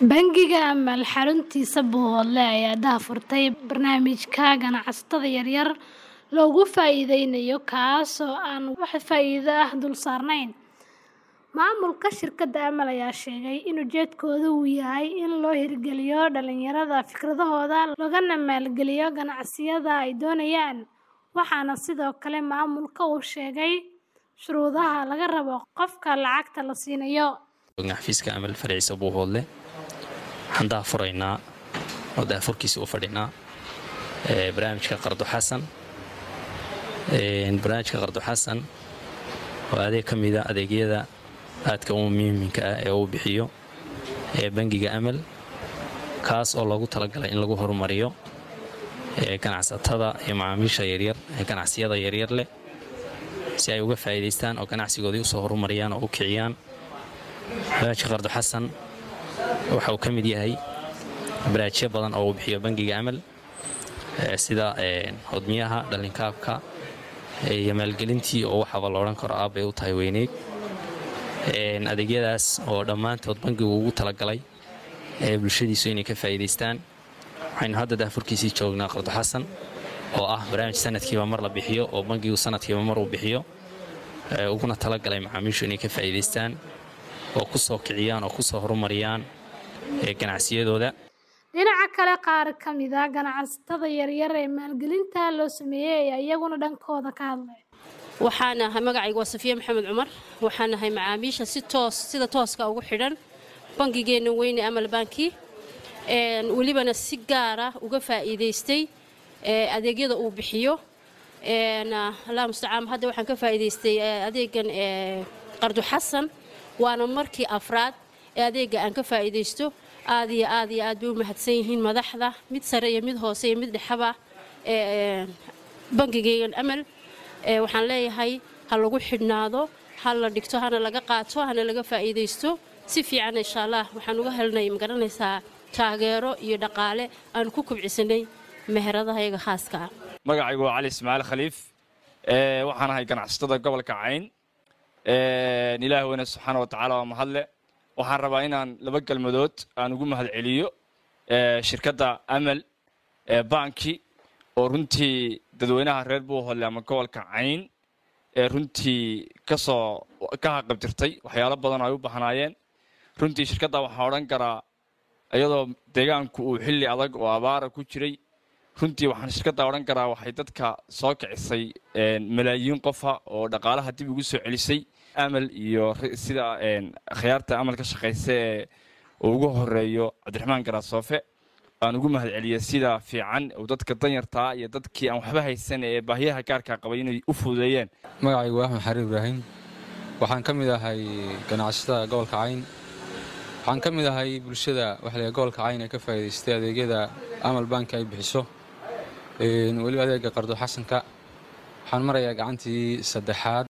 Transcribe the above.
Bangiga Amal xaruntiisa Buuhoodle ayaa daahfurtay barnaamijka ganacsatada yaryar looga faa'iideynayo kaas oo aan wax faa'iido ah dul saarnayn. Maamulka shirkadda Amal ayaa sheegay in ujeedkoodu uu yahay in loo hirgeliyo dhalinyarada fikradahooda loogana maalgeliyo ganacsiyada ay doonayaan. Waxaana sidoo kale maamulka uu sheegay shuruudaha laga rabo qofka lacagta la siinayo. Xafiiska Amal farciisa Buuhoodle waxaan daahfuraynaa oo daahfurkiisa u fadhinaa barnaamijka Qardo Xasan. Barnaamijka Qardo Xasan waa adeeg ka mida adeegyada aadka u muhiimka ah ee uu bixiyo ee bangiga Amal, kaas oo loogu talagalay in lagu horumariyo ganacsatada iyo macaamiisha yaryar ee ganacsiyada yaryar leh si ay uga faa'iidaystaan oo ganacsigoodii usoo horumariyaan oo u kiciyaan. Barnaamijka Qardo Xasan waxa uu ka mid yahay barnaamijyo badan oo uu bixiyo bangiga Amal, sida hodmiyaha, dhalinkaabka iyo maalgelintii oo waxaaba la odhan karo aabbay u tahay weyneyd. Adeegyadaas oo dhammaantood bangigu ugu talagalay ee bulshadiisu inay ka faa'iidaystaan. Waxaynu hadda daahfurkiisii joognaa Qardo Xasan oo ah barnaamij sanadkiiba mar la bixiyo oo bangigu sanadkiiba mar uu bixiyo, uguna talagalay macaamiishu inay ka faa'iidaystaan oo ku soo kiciyaan oo ku soo horumariyaan ganacsiyadooda. Dhinaca kale, qaar ka mid ah ganacsatada yaryar ee maalgelinta loo sameeyay ayaa iyaguna dhankooda ka hadlay. Waxaan ahay, magacaygu waa Safiya Maxamed Cumar. Waxaan ahay macaamiisha si toos sida tooska ugu xidhan bangigeenna weyne Amal Banki, welibana si gaara uga faa'iidaystay adeegyada uu bixiyo. Allah mustacaan, hadda waxaan ka faa'iidaystay adeegan Qardu Xasan, waana markii afraad ee adeega aan ka faa'iidaysto. Aad iyo aad iyo aad bay u mahadsan yihiin madaxda, mid sare iyo mid hoose iyo mid dhexaba, bangigeygan Amal. Waxaan leeyahay ha lagu xidhnaado, ha la dhigto, hana laga qaato, hana laga faa'iidaysto si fiican, insha Allah. Waxaan uga helnay, magaranaysaa, taageero iyo dhaqaale aan ku kubcisanay meheradaha iyaga khaaska ah. Magacaygu waa Cali Ismaaciil Khaliif, waxaan ahay ganacsatada gobolka Cayn. Ilaah weyne subxaana wa tacaala waa mahadle. Waxaan rabaa inaan laba kelmadood aan ugu mahad celiyo shirkadda Amal Banki oo runtii dadweynaha reer Buuhoodle ama gobolka Cayn ee runtii kasoo ka haqabtirtay waxyaalo badan oo ay u bahnaayeen. Runtii shirkadda waxaan odhan karaa, iyadoo deegaanku uu xilli adag oo abaara ku jiray, runtii waxaan shirkadda odhan karaa waxay dadka soo kicisay malaayiin qofa oo dhaqaalaha dib ugu soo celisay. Amal iyo sida khiyaarta Amal ka shaqaysa ee uu ugu horeeyo Cabdiraxmaan Garaasoofe aan ugu mahad celiyay sida fiican uu dadka danyartaa iyo dadkii aan waxba haysan ee baahiyaha gaarka qabay inay u fududeeyeen. Magacaygu waa Axmed Xariir Ibraahim, waxaan ka mid ahay ganacsatada gobolka Cayn. Waxaan ka mid ahay bulshada waxla gobolka Cayn ee ka faa'iidaystay adeegyada Amal Banki ay bixiso, weliba adeega Qardo Xasanka. Waxaan marayaa gacantii saddexaad.